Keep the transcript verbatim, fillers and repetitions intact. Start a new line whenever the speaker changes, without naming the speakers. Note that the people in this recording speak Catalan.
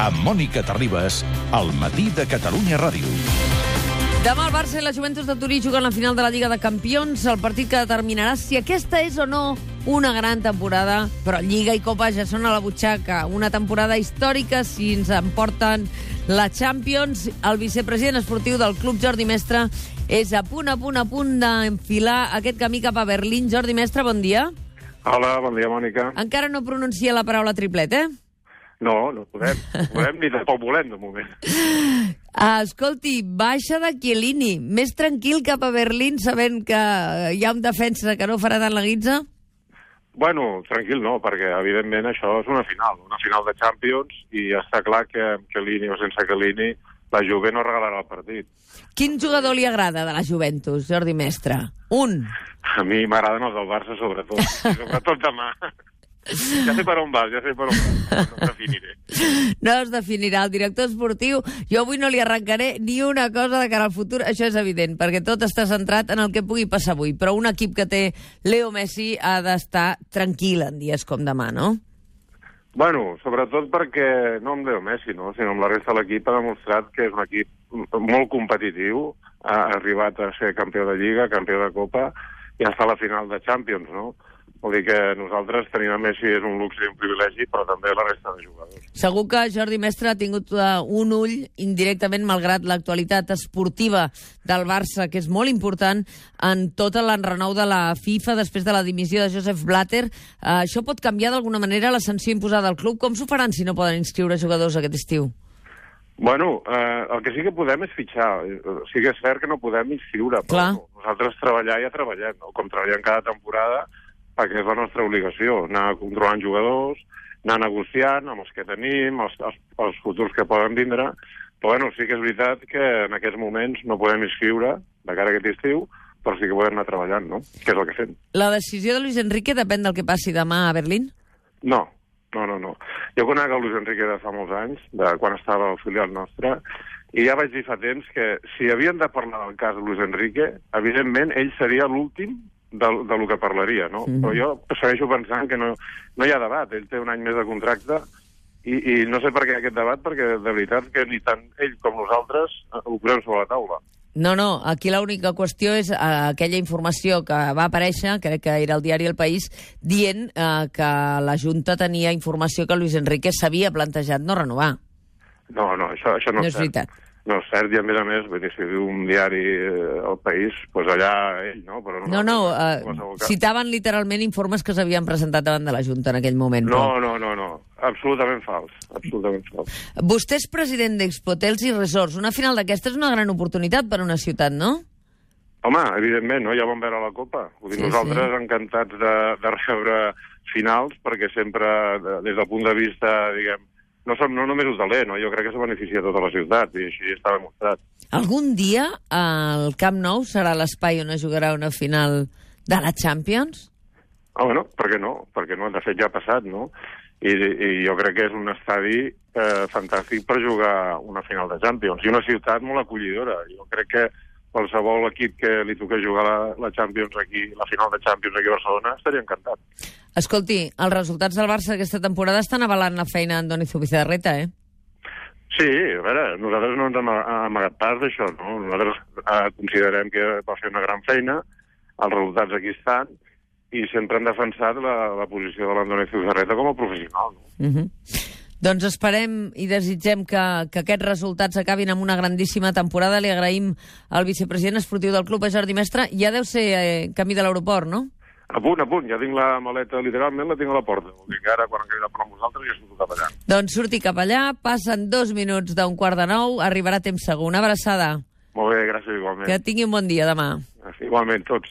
Amb Mònica Terribas, al matí de Catalunya Ràdio.
Demà el Barça i la Juventus de Turí juguen la final de la Lliga de Campions, el partit que determinarà si aquesta és o no una gran temporada, però Lliga i Copa ja són a la butxaca. Una temporada històrica si ens emporten la Champions. El vicepresident esportiu del club, Jordi Mestre, és a punt, a punt, a punt d'enfilar aquest camí cap a Berlín. Jordi Mestre, bon dia.
Hola, bon dia, Mònica.
Encara no pronuncia la paraula triplet, eh?
No, no podem. No podem ni tampoc volem, de moment.
Ah, escolti, baixa de Chiellini. Més tranquil cap a Berlín, sabent que hi ha un defensa que no farà tant la guitza?
Bueno, tranquil no, perquè evidentment això és una final, una final de Champions, i ja està clar que amb Chiellini o sense Chiellini la Juve no regalarà el partit.
Quin jugador li agrada de la Juventus, Jordi Mestre? Un.
A mi m'agraden els del Barça, sobretot. Sobretot demà. Ja sé per on vas, ja sé per on vas. No es definiré.
No es definirà. El director esportiu, jo avui no li arrencaré ni una cosa de cara al futur, això és evident, perquè tot està centrat en el que pugui passar avui. Però un equip que té Leo Messi ha d'estar tranquil en dies com demà, no?
Bueno, sobretot perquè, no amb Leo Messi, no, sinó amb la resta de l'equip, ha demostrat que és un equip molt competitiu, ha arribat a ser campió de Lliga, campió de Copa, i està a la final de Champions, no? Vol dir que nosaltres tenir a Messi és un luxe i un privilegi, però també la resta de jugadors.
Segur que Jordi Mestre ha tingut uh, un ull indirectament, malgrat l'actualitat esportiva del Barça, que és molt important en tot l'enrenou de la FIFA després de la dimissió de Joseph Blatter. Uh, això pot canviar d'alguna manera la sanció imposada al club? Com s'ho faran si no poden inscriure jugadors aquest estiu?
Bueno, eh, el que sí que podem és fitxar. Sí que és cert que no podem inscriure, però
Clar.
nosaltres treballar ja treballem, no? Com treballem cada temporada, perquè és la nostra obligació, anar controlant jugadors, anar negociant amb els que tenim, els, els, els futurs que poden vindre, però bueno, sí que és veritat que en aquests moments no podem inscriure de cara a aquest estiu, però sí que podem anar treballant, no? Que és el que fem.
La decisió de Luis Enrique depèn del que passi demà a Berlín?
No, no, no, no. Jo conec el Luis Enrique de fa molts anys, de quan estava al filial nostre, i ja vaig dir fa temps que si havien de parlar del cas de Luis Enrique, evidentment ell seria l'últim de, de lo que parlaria, no? Mm. Però jo segueixo pensant que no, no hi ha debat. Ell té un any més de contracte i, i no sé per què aquest debat, perquè de veritat que ni tant ell com nosaltres ho posem sobre la taula.
No, no, aquí l'única qüestió és uh, aquella informació que va aparèixer, crec que era el diari El País, dient uh, que la Junta tenia informació que Luis Enrique s'havia plantejat no renovar.
No, no, això, això no,
no
és
és veritat.
cert. No és cert, i a més a més, vull dir, si diu un diari eh, El País, doncs allà ell, no? Però
no, no, uh, citaven literalment informes que s'havien presentat davant de la Junta en aquell moment.
No,
però...
no, no, no, absolutament fals, absolutament fals.
Vostè és president d'Expotels i Resorts. Una final d'aquesta és una gran oportunitat per a una ciutat, no?
Home, evidentment, no? Ja vam veure la Copa. Vull dir, sí, nosaltres sí. encantats de, de rebre finals, perquè sempre, des del punt de vista, diguem, no som no només hoteler, no? Jo crec que se beneficia tota la ciutat, i així està demostrat.
Algun dia el Camp Nou serà l'espai on es jugarà una final de la Champions?
Ah, bueno, per què no? Perquè no, de fet ja ha passat, no? I, i jo crec que és un estadi eh, fantàstic per jugar una final de Champions, i una ciutat molt acollidora. Jo crec que qualsevol equip que li toqués jugar la, la Champions aquí, la final de Champions aquí a Barcelona, estaria encantat.
Escolti, els resultats del Barça aquesta temporada estan avalant la feina d'Andoni Zubizarreta, eh?
Sí, a veure, nosaltres no ens hem amagat pas d'això, no? Nosaltres eh, considerem que va fer una gran feina, els resultats aquí estan, i sempre hem defensat la, la posició de l'Andoni Zubizarreta com a professional, no?
Uh -huh. Doncs esperem i desitgem que, que aquests resultats acabin amb una grandíssima temporada. Li agraïm al vicepresident esportiu del club, a Jordi Mestre. Ja deu ser eh, camí de l'aeroport, no?
A punt, a punt. Ja tinc la maleta, literalment, la tinc a la porta. Vull dir que ara, quan queda per nosaltres, ja surto cap allà.
Doncs surti cap allà, passen dos minuts d'un quart de nou, arribarà a temps segur. Una abraçada.
Molt bé, gràcies igualment.
Que tingui un bon dia demà.
Igualment, tots.